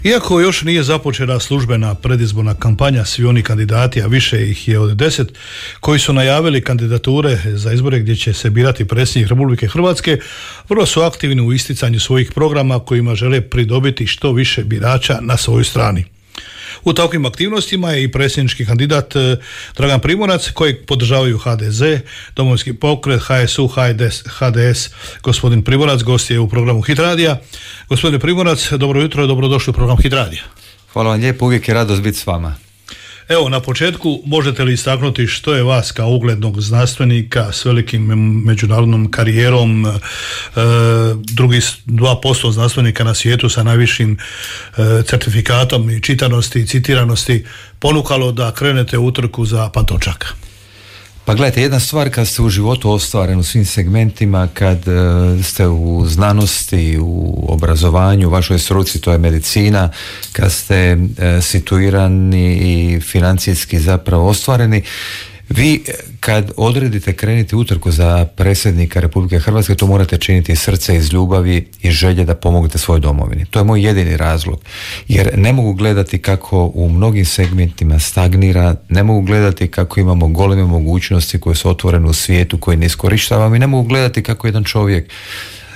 Iako još nije započela službena predizborna kampanja, svi oni kandidati, a više ih je od 10, koji su najavili kandidature za izbore gdje će se birati predsjednik Republike Hrvatske, vrlo su aktivni u isticanju svojih programa kojima žele pridobiti što više birača na svojoj strani. U takvim aktivnostima je i predsjednički kandidat Dragan Primorac, kojeg podržavaju HDZ, Domovinski pokret, HSU, HDS. Gospodin Primorac gost je u programu Hit Radija. Gospodine Primorac, dobro jutro i dobrodošli u program Hit Radija. Hvala vam lijepo, uvijek je radost biti s vama. Evo, na početku možete li istaknuti što je vas kao uglednog znanstvenika s velikim međunarodnom karijerom, drugih 2% znanstvenika na svijetu sa najvišim certifikatom i čitanosti i citiranosti ponukalo da krenete u utrku za Pantovčak? Pa gledajte, jedna stvar kad ste u životu ostvaren u svim segmentima, kad ste u znanosti, u obrazovanju, u vašoj struci, to je medicina, kad ste situirani i financijski zapravo ostvareni, vi kad odredite kreniti utrku za predsjednika Republike Hrvatske, to morate činiti iz srca, iz ljubavi i želje da pomognete svojoj domovini. To je moj jedini razlog. Jer ne mogu gledati kako u mnogim segmentima stagnira, ne mogu gledati kako imamo goleme mogućnosti koje su otvorene u svijetu, koje ne iskorištavamo, i ne mogu gledati kako jedan čovjek,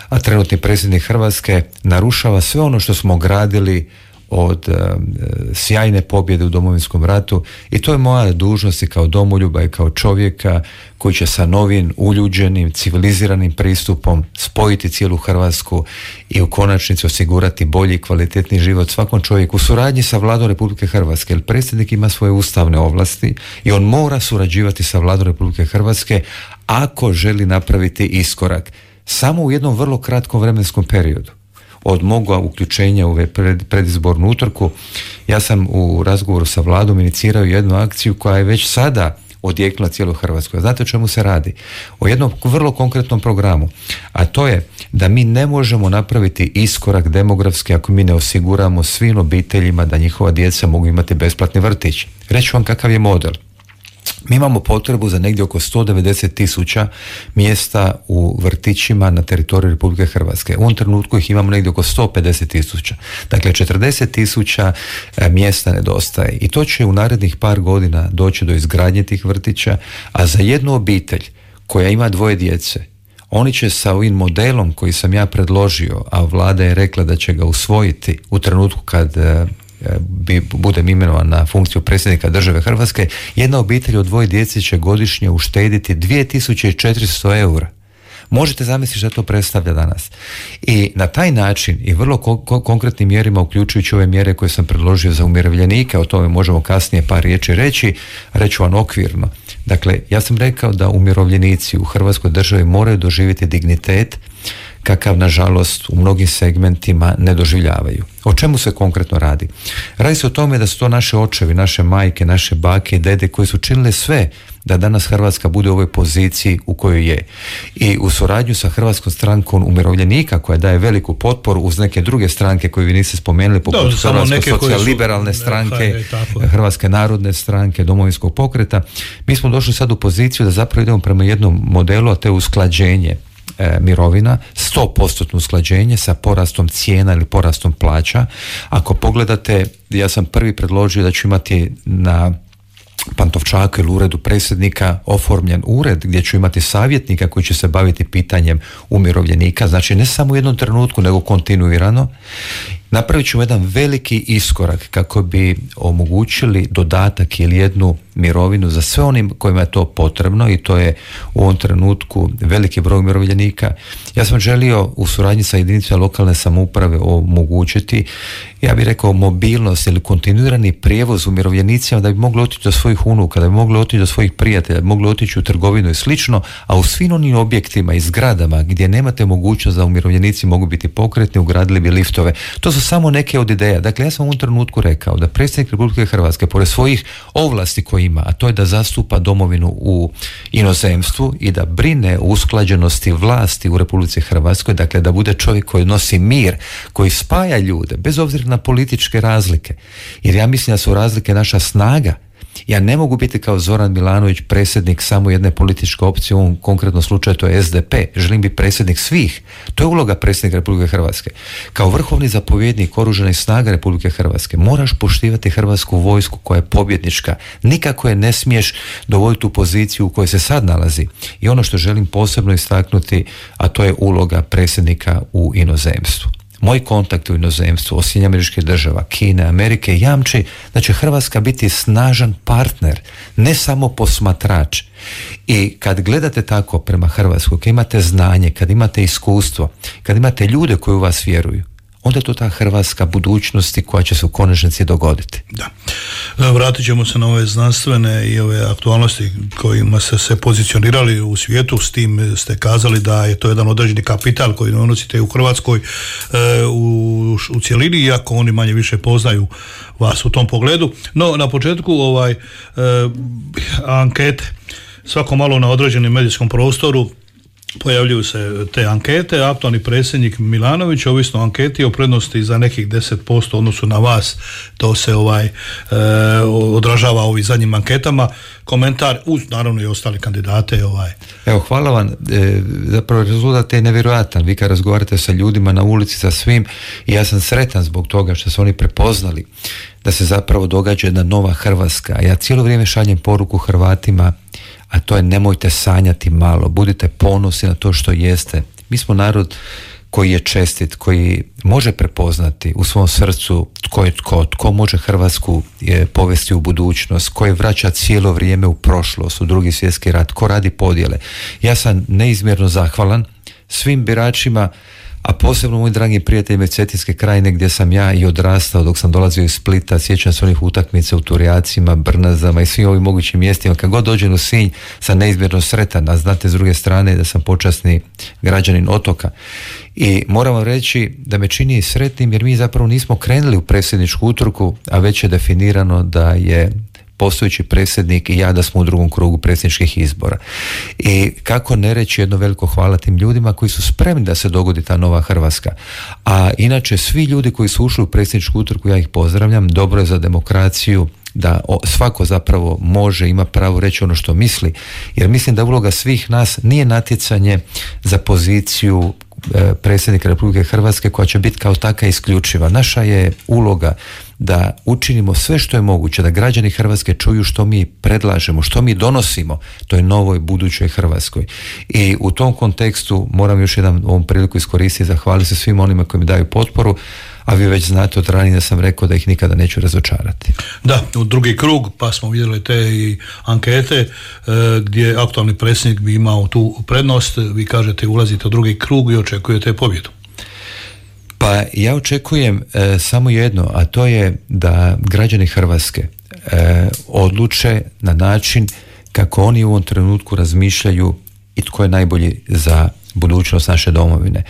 a trenutni predsjednik Hrvatske, narušava sve ono što smo gradili od sjajne pobjede u Domovinskom ratu, i to je moja dužnost i kao domoljuba i kao čovjeka koji će sa novim, uljuđenim, civiliziranim pristupom spojiti cijelu Hrvatsku i u konačnici osigurati bolji i kvalitetni život svakom čovjeku u suradnji sa Vladom Republike Hrvatske, jer predsjednik ima svoje ustavne ovlasti i on mora surađivati sa Vladom Republike Hrvatske ako želi napraviti iskorak samo u jednom vrlo kratkom vremenskom periodu. Od moga uključenja u predizbornu utrku, ja sam u razgovoru sa Vladom inicirao jednu akciju koja je već sada odjeknula cijelu Hrvatsku. Znate o čemu se radi? O jednom vrlo konkretnom programu, a to je da mi ne možemo napraviti iskorak demografski ako mi ne osiguramo svim obiteljima da njihova djeca mogu imati besplatni vrtić. Reći vam kakav je model. Mi imamo potrebu za negdje oko 190.000 mjesta u vrtićima na teritoriju Republike Hrvatske. U ovom trenutku ih imamo negdje oko 150.000. Dakle, 40.000 mjesta nedostaje. I to će u narednih par godina doći do izgradnje tih vrtića, a za jednu obitelj koja ima 2 djece, oni će sa ovim modelom koji sam ja predložio, a Vlada je rekla da će ga usvojiti u trenutku kad budem imenovan na funkciju predsjednika države Hrvatske, jedna obitelj od 2 djece će godišnje uštediti 2400 eura. Možete zamisliti što to predstavlja danas. I na taj način i vrlo konkretnim mjerima, uključujući ove mjere koje sam predložio za umirovljenike, o tome možemo kasnije par riječi reći vam okvirno. Dakle, ja sam rekao da umirovljenici u Hrvatskoj državi moraju doživjeti dignitet kakav nažalost u mnogim segmentima ne doživljavaju. O čemu se konkretno radi? Radi se o tome da su to naše očevi, naše majke, naše bake i dede koji su činile sve da danas Hrvatska bude u ovoj poziciji u kojoj je. I u suradnju sa Hrvatskom strankom umirovljenika, koja daje veliku potporu uz neke druge stranke koje vi niste spomenuli, poput Hrvatske socijal-liberalne stranke, Hrvatske narodne stranke, Domovinskog pokreta, mi smo došli sad u poziciju da zapravo idemo prema jednom modelu, a to je usklađenje mirovina, 100% usklađenje sa porastom cijena ili porastom plaća. Ako pogledate, ja sam prvi predložio da ću imati na Pantovčaku ili uredu predsjednika oformljen ured gdje ću imati savjetnika koji će se baviti pitanjem umirovljenika, znači ne samo u jednom trenutku nego kontinuirano. Napravit ćemo jedan veliki iskorak kako bi omogućili dodatak ili jednu mirovinu za sve onim kojima je to potrebno, i to je u ovom trenutku veliki broj umirovljenika. Ja sam želio u suradnji sa jedinicama lokalne samouprave omogućiti, ja bih rekao, mobilnost ili kontinuirani prijevoz umirovljenicima da bi mogli otići do svojih unuka, da bi mogli otići do svojih prijatelja, da bi mogli otići u trgovinu i slično, a u svim onim objektima i zgradama gdje nemate mogućnost da umirovljenici mogu biti pokretni, ugradili bi liftove. To su samo neke od ideja. Dakle, ja sam u ovom trenutku rekao da predsjednik Republike Hrvatske, pored svojih ovlasti koje ima, a to je da zastupa domovinu u inozemstvu i da brine o usklađenosti vlasti u Republici Hrvatskoj, dakle da bude čovjek koji nosi mir, koji spaja ljude, bez obzira na političke razlike. Jer ja mislim da su razlike naša snaga Ja ne mogu biti kao Zoran Milanović predsjednik samo jedne političke opcije, u ovom konkretnom slučaju to je SDP. Želim biti predsjednik svih. To je uloga predsjednika Republike Hrvatske. Kao vrhovni zapovjednik Oružanih snaga Republike Hrvatske moraš poštivati Hrvatsku vojsku koja je pobjednička. Nikako je ne smiješ dovoditi u poziciju u kojoj se sad nalazi. I ono što želim posebno istaknuti, a to je uloga predsjednika u inozemstvu. Moji kontakti u inozemstvu, Sjedinjenih Američkih Država, Kine, Amerike jamči da će Hrvatska biti snažan partner, ne samo posmatrač. I kad gledate tako prema Hrvatskoj, kad imate znanje, kad imate iskustvo, kad imate ljude koji u vas vjeruju, onda je to ta hrvatska budućnosti koja će se u konačnici dogoditi. Da. Vratit ćemo se na ove znanstvene i ove aktualnosti kojima ste se pozicionirali u svijetu, s tim ste kazali da je to jedan određeni kapital koji donosite u Hrvatskoj u cjelini, iako oni manje više poznaju vas u tom pogledu. No, na početku ankete, svako malo na određenom medijskom prostoru pojavljuju se te ankete. Aktualni predsjednik Milanović, ovisno o anketi, o prednosti za nekih 10% odnosu na vas. To se odražava ovim zadnjim anketama. Komentar uz naravno i ostale kandidate. Evo, hvala vam. Zapravo rezultat je nevjerojatan. Vi kad razgovarate sa ljudima na ulici, sa svim, i ja sam sretan zbog toga što su oni prepoznali da se zapravo događa jedna nova Hrvatska. Ja cijelo vrijeme šaljem poruku Hrvatima, a to je nemojte sanjati malo, budite ponosni na to što jeste. Mi smo narod koji je čestit, koji može prepoznati u svom srcu tko je tko može Hrvatsku povesti u budućnost, koji vraća cijelo vrijeme u prošlost, u Drugi svjetski rat, ko radi podjele. Ja sam neizmjerno zahvalan svim biračima, a posebno mojim dragim prijateljima iz Cetinske krajine gdje sam ja i odrastao dok sam dolazio iz Splita. Sjećam se onih utakmica u Turjacima, Brnazama i svim ovim mogućim mjestima. Kad god dođem u Sinj sam neizmjerno sretan, a znate s druge strane da sam počasni građanin otoka. I moram vam reći da me čini sretnim jer mi zapravo nismo krenuli u predsjedničku utrku, a već je definirano da je postojeći predsjednik i ja da smo u drugom krugu predsjedničkih izbora. I kako ne reći jedno veliko hvala tim ljudima koji su spremni da se dogodi ta nova Hrvatska. A inače svi ljudi koji su ušli u predsjedničku utrku, ja ih pozdravljam, dobro je za demokraciju da svako zapravo može, ima pravo reći ono što misli, jer mislim da uloga svih nas nije natjecanje za poziciju predsjednika Republike Hrvatske koja će biti kao taka isključiva. Naša je uloga da učinimo sve što je moguće, da građani Hrvatske čuju što mi predlažemo, što mi donosimo toj novoj budućoj Hrvatskoj. I u tom kontekstu moram još jedan ovom priliku iskoristiti i zahvaliti se svim onima koji mi daju potporu, a vi već znate od ranije da sam rekao da ih nikada neću razočarati. Da, u drugi krug, pa smo vidjeli te i ankete gdje aktualni predsjednik bi imao tu prednost. Vi kažete ulazite u drugi krug i očekujete pobjedu. Pa ja očekujem samo jedno, a to je da građani Hrvatske odluče na način kako oni u ovom trenutku razmišljaju i tko je najbolji za budućnost naše domovine.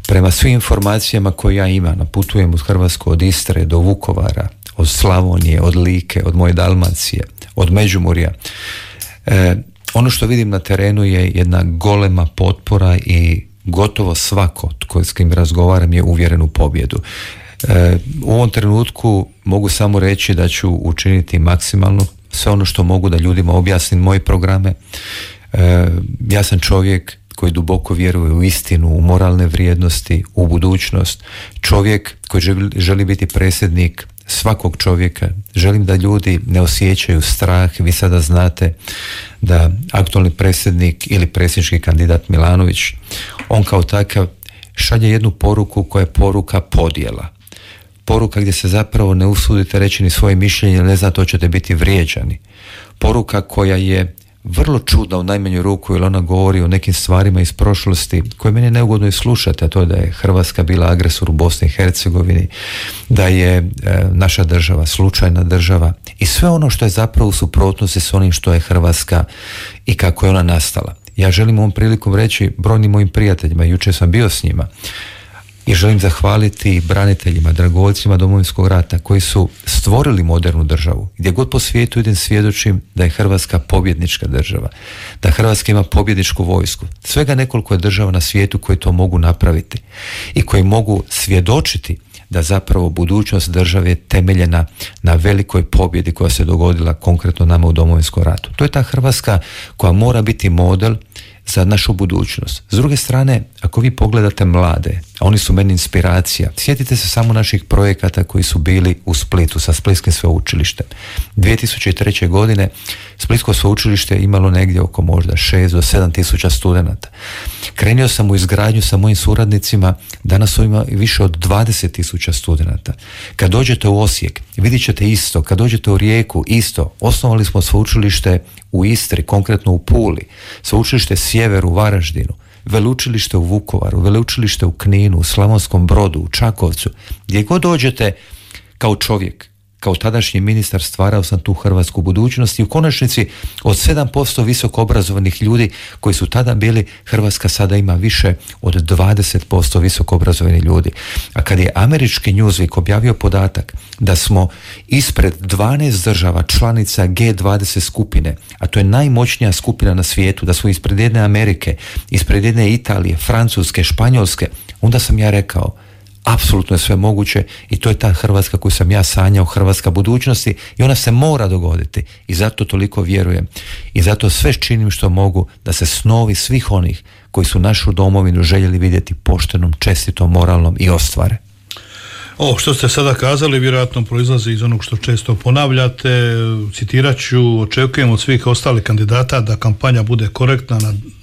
Prema svim informacijama koje ja imam, putujem uz Hrvatsku od Istre do Vukovara, od Slavonije, od Like, od moje Dalmacije, od Međimurja. Ono što vidim na terenu je jedna golema potpora i gotovo svako s kim razgovaram je uvjeren u pobjedu. U ovom trenutku mogu samo reći da ću učiniti maksimalno sve ono što mogu da ljudima objasnim moje programe. Ja sam čovjek koji duboko vjeruje u istinu, u moralne vrijednosti, u budućnost. Čovjek koji želi biti predsjednik svakog čovjeka. Želim da ljudi ne osjećaju strah. Vi sada znate da aktualni predsjednik ili predsjednički kandidat Milanović, on kao takav šalje jednu poruku koja je poruka podjela. Poruka gdje se zapravo ne usudite reći ni svoje mišljenje, ne znate hoćete biti vrijeđani. Poruka koja je vrlo čudna u najmanju ruku, jer ona govori o nekim stvarima iz prošlosti koje meni je neugodno i slušati, a to je da je Hrvatska bila agresor u Bosni i Hercegovini, da je naša država slučajna država i sve ono što je zapravo u suprotnosti s onim što je Hrvatska i kako je ona nastala. Ja želim ovom prilikom reći brojnim mojim prijateljima, jučer sam bio s njima, i želim zahvaliti braniteljima, dragovoljcima Domovinskog rata koji su stvorili modernu državu. Gdje god po svijetu idem svjedočim da je Hrvatska pobjednička država, da Hrvatska ima pobjedničku vojsku. Svega nekoliko je država na svijetu koji to mogu napraviti i koji mogu svjedočiti da zapravo budućnost države je temeljena na velikoj pobjedi koja se dogodila konkretno nama u Domovinskom ratu. To je ta Hrvatska koja mora biti model za našu budućnost. S druge strane, ako vi pogledate mlade, a oni su meni inspiracija, sjetite se samo naših projekata koji su bili u Splitu sa Splitskim sveučilištem. 2003. godine Splitsko sveučilište je imalo negdje oko možda 6 do 7 tisuća studenata. Krenio sam u izgradnju sa mojim suradnicima, danas ima više od 20 tisuća studenata. Kad dođete u Osijek, vidit ćete isto. Kad dođete u Rijeku, isto. Osnovali smo sveučilište u Istri, konkretno u Puli, sveučilište Sjever u Varaždinu, veleučilište u Vukovaru, veleučilište u Kninu, u Slavonskom Brodu, u Čakovcu. Gdje god dođete kao čovjek, kao tadašnji ministar, stvarao sam tu hrvatsku budućnost i u konačnici od 7% visoko obrazovanih ljudi koji su tada bili, Hrvatska sada ima više od 20% visoko obrazovanih ljudi. A kad je američki Newsweek objavio podatak da smo ispred 12 država članica G20 skupine, a to je najmoćnija skupina na svijetu, da smo ispred jedne Amerike, ispred jedne Italije, Francuske, Španjolske, onda sam ja rekao, apsolutno je sve moguće i to je ta Hrvatska koju sam ja sanjao, Hrvatska budućnosti, i ona se mora dogoditi i zato toliko vjerujem i zato sve činim što mogu da se snovi svih onih koji su našu domovinu željeli vidjeti poštenom, čestitom, moralnom i ostvare. Ovo što ste sada kazali vjerojatno proizlazi iz onog što često ponavljate. Citirat ću: očekujem od svih ostalih kandidata da kampanja bude korektna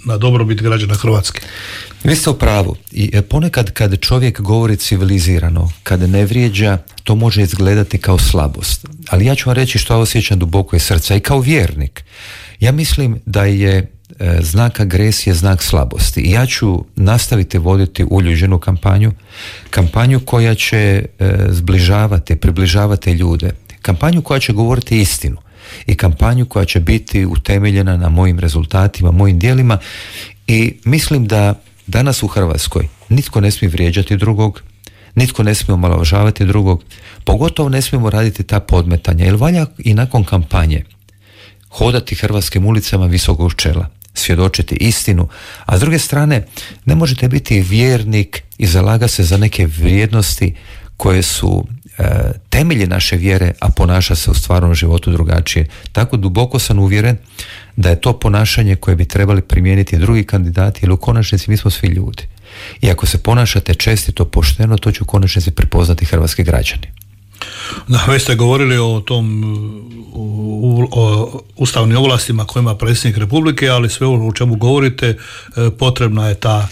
na dobrobit građana Hrvatske. Vi ste u pravu i ponekad kad čovjek govori civilizirano, kad ne vrijeđa, to može izgledati kao slabost. Ali ja ću vam reći što osjećam duboko iz srca i kao vjernik. Ja mislim da je znak agresije znak slabosti i ja ću nastaviti voditi uljuđenu kampanju koja će zbližavati, približavati ljude, kampanju koja će govoriti istinu i kampanju koja će biti utemeljena na mojim rezultatima, mojim djelima, i mislim da danas u Hrvatskoj nitko ne smije vrijeđati drugog, nitko ne smije omalovažavati drugog, pogotovo ne smijemo raditi ta podmetanja, jer valja i nakon kampanje hodati hrvatskim ulicama visokog čela, svjedočiti istinu, a s druge strane ne možete biti vjernik i zalagati se za neke vrijednosti koje su temelji naše vjere, a ponaša se u stvarnom životu drugačije. Tako duboko sam uvjeren da je to ponašanje koje bi trebali primijeniti drugi kandidati, jer u konačnici mi smo svi ljudi. I ako se ponašate čestito, pošteno, to će u konačnici prepoznati hrvatski građani. Da, već ste govorili o tom o ustavnim ovlastima koje ima predsjednik Republike, ali sve o čemu govorite potrebna je ta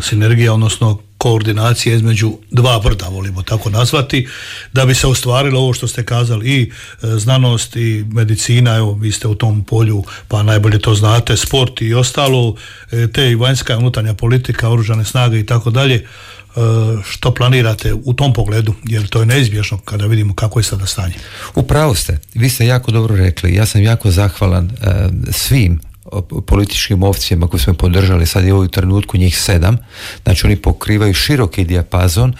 sinergija, odnosno koordinacija između dva brda, volimo tako nazvati, da bi se ostvarilo ovo što ste kazali, i znanost i medicina. Evo, vi ste u tom polju pa najbolje to znate, sport i ostalo, te i vanjska i unutarnja politika, oružane snage i tako dalje. Što planirate u tom pogledu, jer to je neizbježno kada vidimo kako je sada stanje? Upravo ste, vi ste jako dobro rekli, ja sam jako zahvalan svim političkim opcijama koje smo podržali, sad je u trenutku njih 7, znači oni pokrivaju široki dijapazon,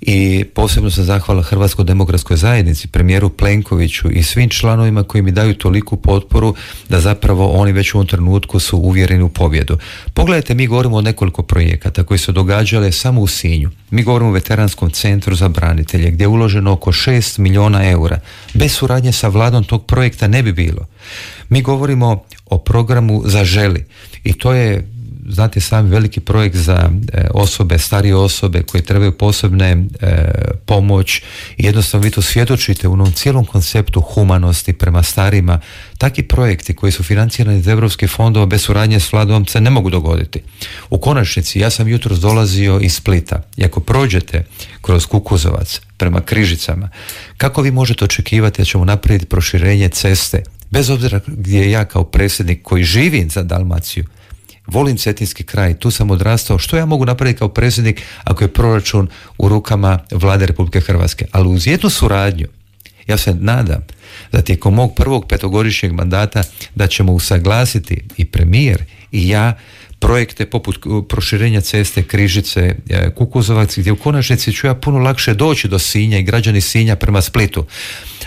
i posebno sam zahvalan Hrvatskoj demokratskoj zajednici, premijeru Plenkoviću i svim članovima koji mi daju toliku potporu da zapravo oni već u ovom trenutku su uvjereni u pobjedu. Pogledajte, mi govorimo o nekoliko projekata koji su događale samo u Sinju. Mi govorimo o veteranskom centru za branitelje gdje je uloženo oko 6 milijuna eura. Bez suradnje sa vladom tog projekta ne bi bilo. Mi govorimo o programu Zaželi i to je, znate sami, veliki projekt za osobe, starije osobe koje trebaju posebne pomoć, i jednostavno vi to svjedočite u onom cijelom konceptu humanosti prema starima. Takvi projekti koji su financirani iz europskih fondova bez suradnje s vladom se ne mogu dogoditi. U konačnici, ja sam jutros dolazio iz Splita i ako prođete kroz Kukuzovac prema Križicama, kako vi možete očekivati da ćemo napraviti proširenje ceste, bez obzira gdje ja kao predsjednik koji živim za Dalmaciju, volim cetinski kraj, tu sam odrastao, što ja mogu napraviti kao predsjednik ako je proračun u rukama Vlade Republike Hrvatske? Ali uz jednu suradnju, ja se nadam da tijekom mog prvog 5-godišnjeg mandata da ćemo usaglasiti i premijer i ja projekte poput proširenja ceste Križice Kukuzovac, gdje u konačnici ću ja puno lakše doći do Sinja i građani Sinja prema Splitu.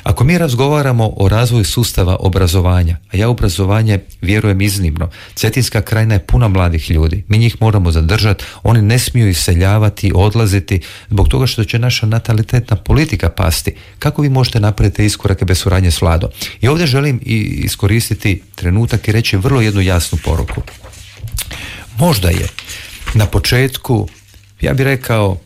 Ako mi razgovaramo o razvoju sustava obrazovanja, a ja obrazovanje vjerujem iznimno, Cetinska krajina je puna mladih ljudi, mi njih moramo zadržati, oni ne smiju iseljavati, odlaziti zbog toga što će naša natalitetna politika pasti. Kako vi možete napraviti iskorake bez suradnje s vladom? I ovdje želim iskoristiti trenutak i reći vrlo jednu jasnu poruku. Možda je na početku, ja bih rekao,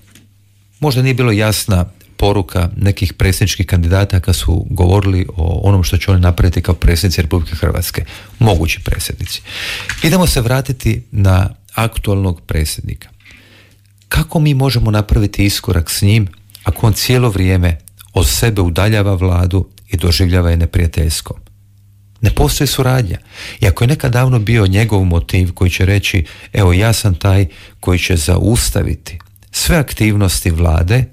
možda nije bilo jasna poruka nekih predsjedničkih kandidata kad su govorili o onom što će oni napraviti kao predsjednici Republike Hrvatske, mogući predsjednici. Idemo se vratiti na aktualnog predsjednika. Kako mi možemo napraviti iskorak s njim ako on cijelo vrijeme od sebe udaljava vladu i doživljava je neprijateljskom? Ne postoji suradnja. I ako je nekad davno bio njegov motiv koji će reći, evo ja sam taj koji će zaustaviti sve aktivnosti vlade,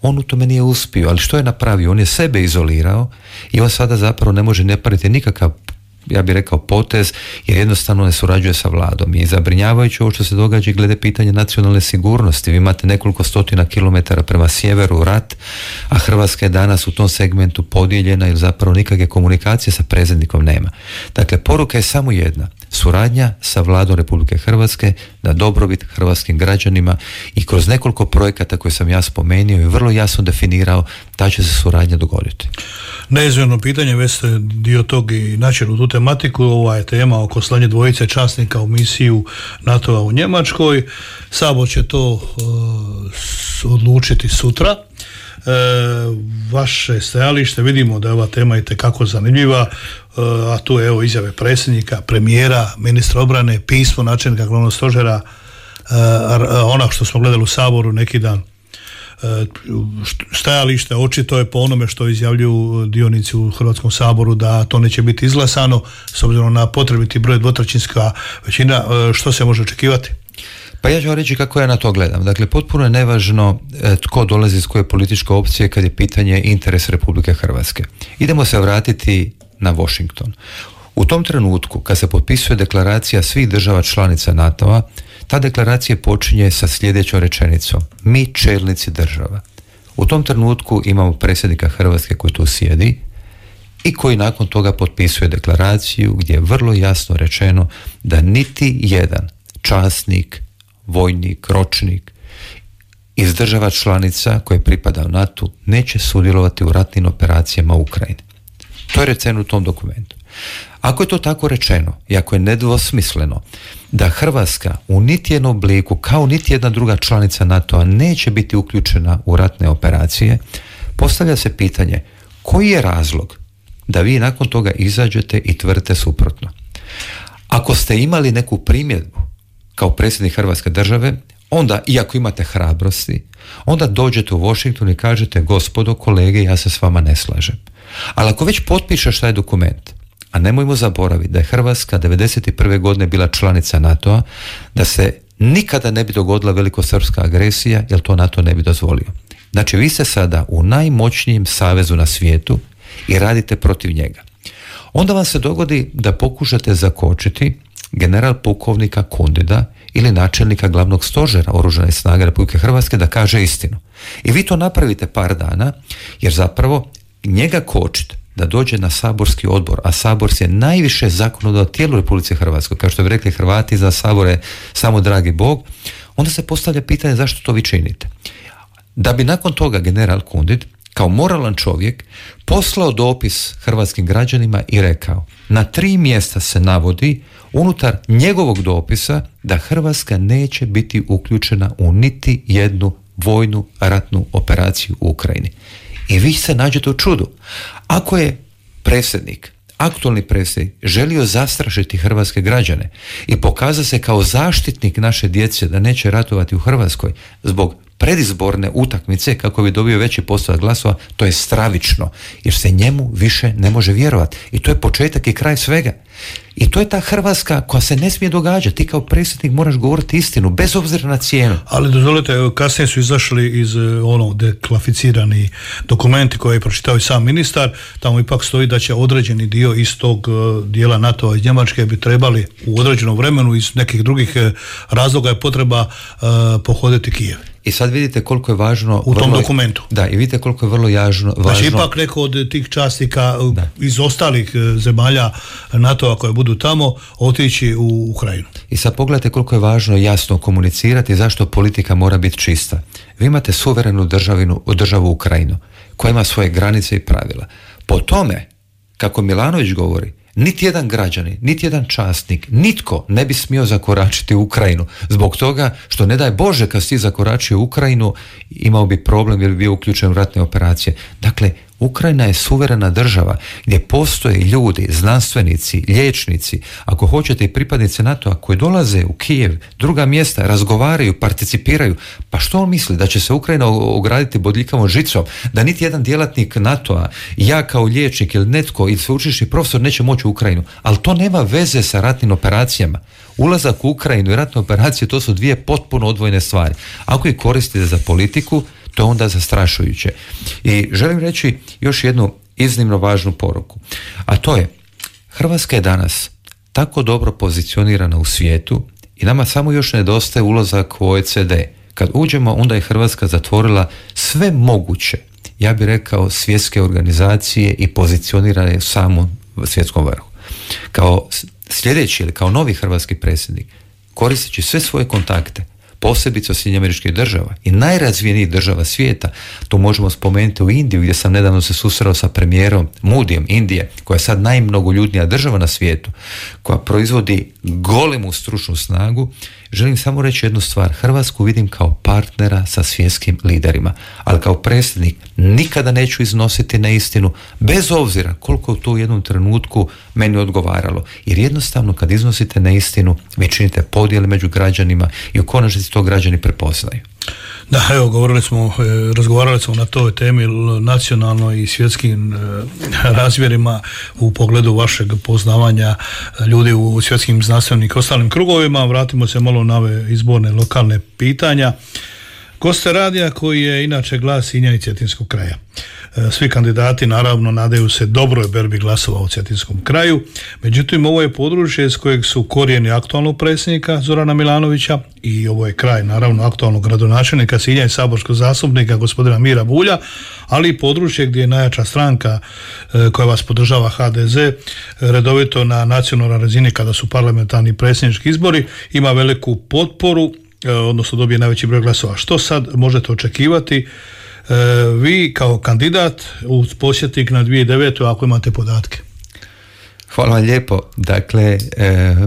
on u tome nije uspio, ali što je napravio? On je sebe izolirao i on sada zapravo ne može napraviti nikakav, ja bih rekao, potez, jer jednostavno ne surađuje sa vladom. I zabrinjavajuće ovo što se događa glede pitanja nacionalne sigurnosti. Vi imate nekoliko stotina kilometara prema sjeveru rat, a Hrvatska je danas u tom segmentu podijeljena jer zapravo nikakve komunikacije sa predsjednikom nema. Dakle, poruka je samo jedna. Suradnja sa vladom Republike Hrvatske na dobrobit hrvatskim građanima i kroz nekoliko projekata koje sam ja spomenuo i vrlo jasno definirao da će se suradnja dogoditi. Neizmjerno pitanje, već ste dio tog i načeli u tu tematiku. Ova je tema oko slanje dvojice časnika u misiju NATO-a u Njemačkoj. Sabor će to odlučiti sutra. Vaše stajalište, vidimo da je ova tema itekako zanimljiva, a tu je evo izjave predsjednika, premijera, ministra obrane, pismo načelnika glavnog stožera, ono što smo gledali u Saboru neki dan. Stajalište očito je po onome što izjavljuju dionici u Hrvatskom saboru da to neće biti izglasano s obzirom na potrebiti broj dvotrećinska većina. Što se može očekivati? Pa ja ću vam reći kako ja na to gledam. Dakle, potpuno je nevažno tko dolazi iz koje političke opcije kad je pitanje interes Republike Hrvatske. Idemo se vratiti na Washington. U tom trenutku kad se potpisuje deklaracija svih država članica NATO-a, ta deklaracija počinje sa sljedećom rečenicom: mi čelnici država. U tom trenutku imamo predsjednika Hrvatske koji tu sjedi i koji nakon toga potpisuje deklaraciju gdje je vrlo jasno rečeno da niti jedan časnik, vojnik, ročnik iz država članica koje pripada NATO neće sudjelovati u ratnim operacijama u Ukrajini. To je rečeno u tom dokumentu. Ako je to tako rečeno i ako je nedvosmisleno da Hrvatska u niti jednom obliku, kao niti jedna druga članica NATO-a, neće biti uključena u ratne operacije, postavlja se pitanje koji je razlog da vi nakon toga izađete i tvrdite suprotno. Ako ste imali neku primjedbu kao predsjednik Hrvatske države, onda, iako imate hrabrosti, onda dođete u Washington i kažete: gospodo, kolege, ja se s vama ne slažem. Ali ako već potpišeš taj dokument, a nemojmo zaboraviti da je Hrvatska 1991. godine bila članica NATO-a, da se nikada ne bi dogodila velikosrpska agresija, jer to NATO ne bi dozvolio. Znači, vi ste sada u najmoćnijem savezu na svijetu i radite protiv njega. Onda vam se dogodi da pokušate zakočiti general pukovnika Kundida ili načelnika glavnog stožera Oružanih snaga Republike Hrvatske da kaže istinu. I vi to napravite par dana, jer zapravo njega kočite da dođe na saborski odbor, a sabor je najviše zakonodavno tijelo u Republici Hrvatskoj, kao što bi rekli Hrvati, za sabor je samo dragi Bog. Onda se postavlja pitanje zašto to vi činite. Da bi nakon toga general Kundid kao moralan čovjek poslao dopis hrvatskim građanima i rekao: na 3 mjesta se navodi unutar njegovog dopisa da Hrvatska neće biti uključena u niti jednu vojnu ratnu operaciju u Ukrajini. I vi se nađete u čudu. Ako je predsjednik, aktualni predsjednik, želio zastrašiti hrvatske građane i pokaza se kao zaštitnik naše djece da neće ratovati u Hrvatskoj zbog predizborne utakmice kako bi dobio veći postotak glasova, to je stravično, jer se njemu više ne može vjerovati. I to je početak i kraj svega. I to je ta Hrvatska koja se ne smije događati. Ti kao predsjednik moraš govoriti istinu, bez obzira na cijenu. Ali dozvolite, kasnije su izašli iz deklasificirani dokumenti koje je pročitao i sam ministar. Tamo ipak stoji da će određeni dio iz tog dijela NATO-a iz Njemačke bi trebali u određenom vremenu iz nekih drugih razloga je potreba pohoditi Kijev. I sad vidite koliko je važno u tom dokumentu. Da, i vidite koliko je vrlo važno. Znači ipak neko od tih časnika iz ostalih zemalja NATO-a koje budu tamo otići u Ukrajinu. I sad pogledajte koliko je važno jasno komunicirati zašto politika mora biti čista. Vi imate suverenu državu Ukrajinu koja ima svoje granice i pravila. Po tome, kako Milanović govori, niti jedan građanin, niti jedan časnik, nitko ne bi smio zakoračiti u Ukrajinu. Zbog toga što ne daj Bože kad si zakoračio u Ukrajinu imao bi problem jer bi bio uključen u ratne operacije. Dakle, Ukrajina je suverena država gdje postoje ljudi, znanstvenici, liječnici, ako hoćete i pripadnici NATO-a koji dolaze u Kijev, druga mjesta, razgovaraju, participiraju. Pa što on misli? Da će se Ukrajina ograditi bodljikavom žicom? Da niti jedan djelatnik NATO-a, ja kao liječnik ili netko ili sveučilišni profesor neće moći u Ukrajinu? Ali to nema veze sa ratnim operacijama. Ulazak u Ukrajinu i ratne operacije to su dvije potpuno odvojene stvari. Ako ih koristite za politiku, to je onda zastrašujuće. I želim reći još jednu iznimno važnu poruku. A to je, Hrvatska je danas tako dobro pozicionirana u svijetu i nama samo još nedostaje ulazak u OECD. Kad uđemo, onda je Hrvatska zatvorila sve moguće, ja bih rekao, svjetske organizacije i pozicionirana je u samom svjetskom vrhu. Kao sljedeći ili kao novi hrvatski predsjednik, koristeći sve svoje kontakte, posebice od SAD-a i najrazvijenijih država svijeta, to možemo spomenuti u Indiju gdje sam nedavno se susreo sa premijerom Moodijem Indije, koja je sad najmnogoljudnija država na svijetu, koja proizvodi golemu stručnu snagu. Želim samo reći jednu stvar, Hrvatsku vidim kao partnera sa svjetskim liderima, ali kao predsjednik nikada neću iznositi neistinu, bez obzira koliko to u jednom trenutku meni odgovaralo, jer jednostavno kad iznosite neistinu vi činite podjele među građanima i u konačnici to građani prepoznaju. Da, evo, razgovarali smo na toj temi nacionalno i svjetskim razmjerima u pogledu vašeg poznavanja ljudi u svjetskim znanstvenim i ostalim krugovima. Vratimo se malo na ove izborne lokalne pitanja. Goste radija koji je inače glas Sinja i Cetinskog kraja. Svi kandidati naravno nadaju se dobroj berbi glasova u Cetinskom kraju, međutim ovo je područje iz kojeg su korijeni aktualnog predsjednika Zorana Milanovića i ovo je kraj naravno aktualnog gradonačelnika Sinja i saborskog zastupnika gospodina Mira Bulja, ali i područje gdje je najjača stranka koja vas podržava HDZ redovito na nacionalnoj razini kada su parlamentarni predsjednički izbori ima veliku potporu, odnosno dobije najveći broj glasova. Što sad možete očekivati vi kao kandidat uz podsjetnik na 2009. ako imate podatke? Hvala vam lijepo. Dakle,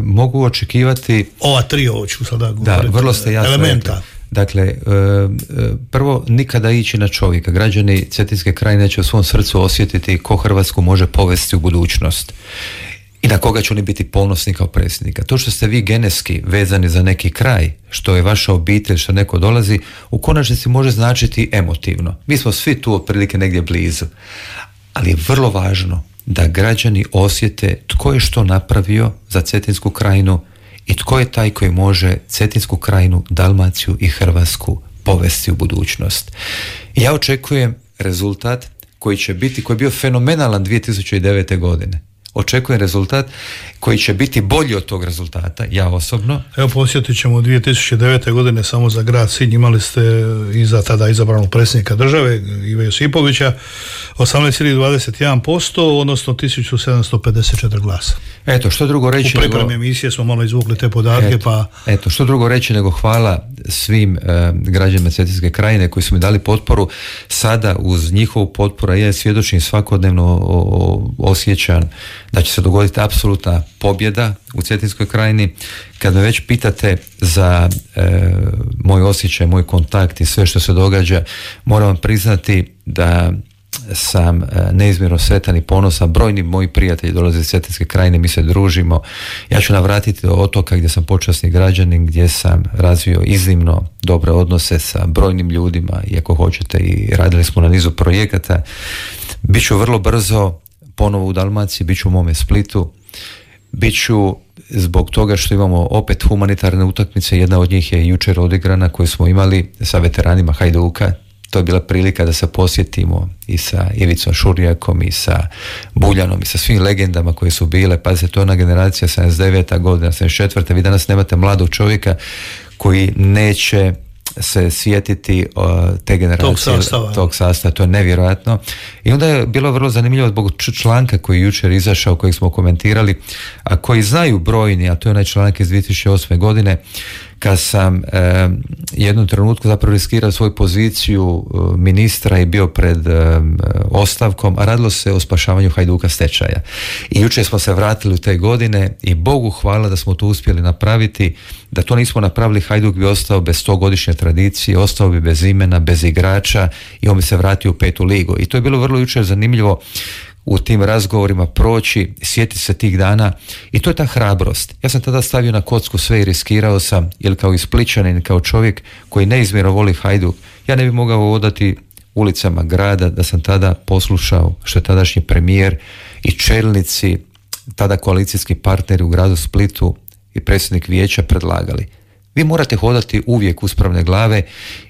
mogu očekivati... Ova tri, ovo ću sada govoriti. Da, vrlo ste jasno elementa. Rekli. Dakle, prvo nikada ići na čovjeka. Građani Cetinske krajine će u svom srcu osjetiti ko Hrvatsku može povesti u budućnost i na koga će oni biti ponosni kao predsjednika. To što ste vi genetski vezani za neki kraj, što je vaša obitelj, što neko dolazi, u konačnici može značiti emotivno. Mi smo svi tu otprilike negdje blizu. Ali je vrlo važno da građani osjete tko je što napravio za Cetinsku krajinu i tko je taj koji može Cetinsku krajinu, Dalmaciju i Hrvatsku povesti u budućnost. Ja očekujem rezultat koji će biti, koji je bio fenomenalan 2009. godine. Očekujem rezultat koji će biti bolji od tog rezultata, ja osobno. Evo, posjetit ćemo 2009. godine samo za grad Sinj, imali ste iza tada izabranog predsjednika države Ive Josipovića 18,21%, odnosno 1754 glasa. Eto, što drugo reći... U pripremi emisije smo malo izvukli te podatke, Eto, što drugo reći nego hvala svim građanima Cetinske krajine koji su mi dali potporu. Sada uz njihovu potporu ja svjedočim svakodnevno osjećam da će se dogoditi apsolutna pobjeda u Cetinskoj krajini. Kad me već pitate za moj osjećaj, moj kontakt i sve što se događa, moram vam priznati da sam neizmjerno sretan i ponosan. Brojni moji prijatelji dolaze iz Cetinske krajine, mi se družimo. Ja ću navratiti do otoka gdje sam počasni građanin, gdje sam razvio iznimno dobre odnose sa brojnim ljudima i ako hoćete i radili smo na nizu projekata. Biću vrlo brzo ponovo u Dalmaciji, biću u mome Splitu, biću zbog toga što imamo opet humanitarne utakmice. Jedna od njih je jučer odigrana koju smo imali sa veteranima Hajduka. To je bila prilika da se posjetimo i sa Ivicom Šurjakom i sa Buljanom i sa svim legendama koje su bile. Pazite, to je ona generacija 79. godina, 74. Vi danas nemate mladog čovjeka koji neće se sjetiti te generacije, tog sastava, to je nevjerojatno. I onda je bilo vrlo zanimljivo zbog članka koji je jučer izašao, kojeg smo komentirali, a koji znaju brojni, a to je onaj članak iz 2008. godine, kad sam jednom trenutku zapravo riskirao svoju poziciju ministra i bio pred ostavkom, a radilo se o spašavanju Hajduka stečaja. I jučer smo se vratili u te godine i Bogu hvala da smo to uspjeli napraviti. Da to nismo napravili, Hajduk bi ostao bez 100-godišnje tradicije, ostao bi bez imena, bez igrača i on bi se vratio u 5. ligu. I to je bilo vrlo jučer zanimljivo u tim razgovorima proći, sjetiti se tih dana i to je ta hrabrost. Ja sam tada stavio na kocku sve i riskirao sam, jer kao i Splićanin, kao čovjek koji neizmjerno voli Hajduk, ja ne bi mogao odati ulicama grada da sam tada poslušao što je tadašnji premijer i čelnici, tada koalicijski partneri u gradu Splitu i predsjednik vijeća predlagali. Vi morate hodati uvijek uspravne glave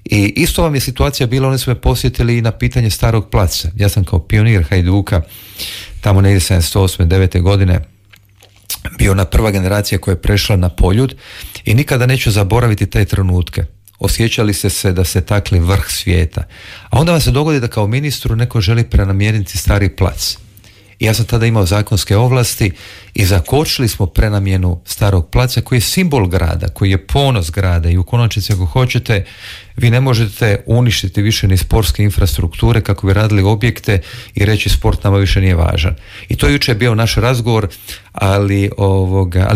i isto vam je situacija bila, oni su me posjetili i na pitanje Starog placa. Ja sam kao pionir Hajduka tamo negdje 78. 9. godine bio ona prva generacija koja je prešla na Poljud i nikada neću zaboraviti te trenutke. Osjećali ste se da se takli vrh svijeta. A onda vam se dogodi da kao ministru neko želi prenamijeniti Stari plac. I ja sam tada imao zakonske ovlasti i zakočili smo prenamjenu Starog placa koji je simbol grada, koji je ponos grada i u konačnici ako hoćete vi ne možete uništiti više ni sportske infrastrukture kako bi radili objekte i reći sport nama više nije važan. I to jučer je bio naš razgovor, ali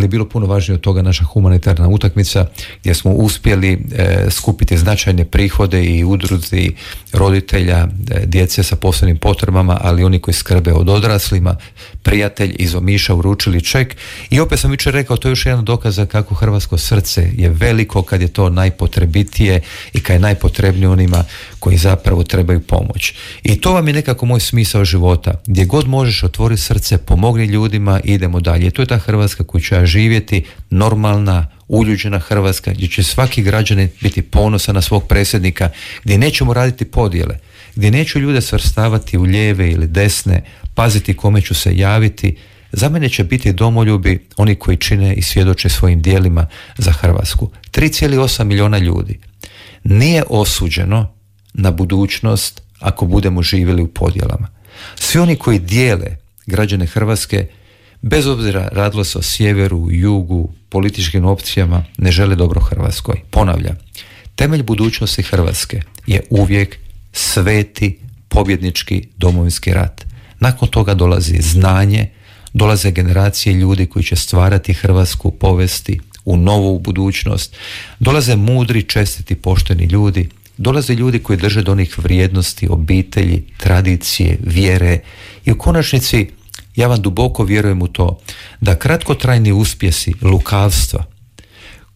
bilo puno važnije od toga naša humanitarna utakmica gdje smo uspjeli skupiti značajne prihode i udruzi roditelja, djece sa posebnim potrebama, ali oni koji skrbe od odraslima, prijatelj iz Omiša uručili ček i opet sam jučer rekao, to je još jedan dokaz kako hrvatsko srce je veliko kad je to najpotrebitije i kad je najpotrebnije onima koji zapravo trebaju pomoć. I to vam je nekako moj smisao života. Gdje god možeš otvori srce, pomogni ljudima i idemo dalje. To je ta Hrvatska koju ću ja živjeti, normalna, uljuđena Hrvatska, gdje će svaki građanin biti ponosan na svog predsjednika, gdje nećemo raditi podjele, gdje neću ljude svrstavati u lijeve ili desne, paziti kome ću se javiti. Za mene će biti domoljubi oni koji čine i svjedoče svojim djelima za Hrvatsku. 3,8 milijuna ljudi nije osuđeno na budućnost ako budemo živjeli u podjelama. Svi oni koji dijele građane Hrvatske, bez obzira radilo se o sjeveru, jugu, političkim opcijama, ne žele dobro Hrvatskoj. Ponavljam, temelj budućnosti Hrvatske je uvijek sveti pobjednički Domovinski rat. Nakon toga dolazi znanje, dolaze generacije ljudi koji će stvarati Hrvatsku, povesti u novu budućnost, dolaze mudri, čestiti, pošteni ljudi, dolaze ljudi koji drže do onih vrijednosti, obitelji, tradicije, vjere i u konačnici ja vam duboko vjerujem u to da kratkotrajni uspjesi lukavstva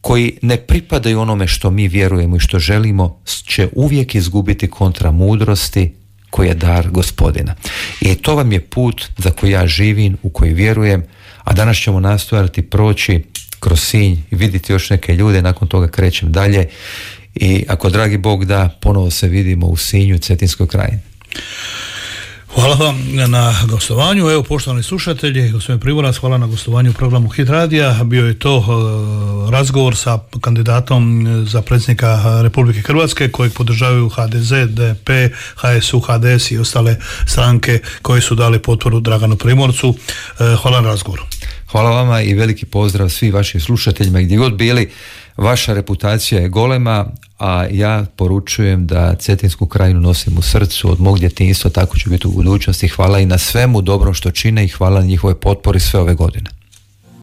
koji ne pripadaju onome što mi vjerujemo i što želimo će uvijek izgubiti kontra mudrosti koji je dar Gospodina. I to vam je put za koji ja živim, u koji vjerujem, a danas ćemo nastojati proći kroz Sinj i vidjeti još neke ljude, nakon toga krećem dalje i ako dragi Bog da, ponovo se vidimo u Sinju, Cetinskoj krajini. Hvala vam na gostovanju. Evo, poštovani slušatelji, gospodin Primorac, hvala na gostovanju u programu Hit Radija. Bio je to razgovor sa kandidatom za predsjednika Republike Hrvatske kojeg podržavaju HDZ, DP, HSU, HDS i ostale stranke koje su dali potporu Draganu Primorcu. Hvala na razgovoru. Hvala vama i veliki pozdrav svim vašim slušateljima gdje god bili. Vaša reputacija je golema, a ja poručujem da Cetinsku krajinu nosim u srcu od mog djetinjstva, tako će biti u budućnosti. Hvala i na svemu dobrom što čine i hvala na njihovoj potpori sve ove godine.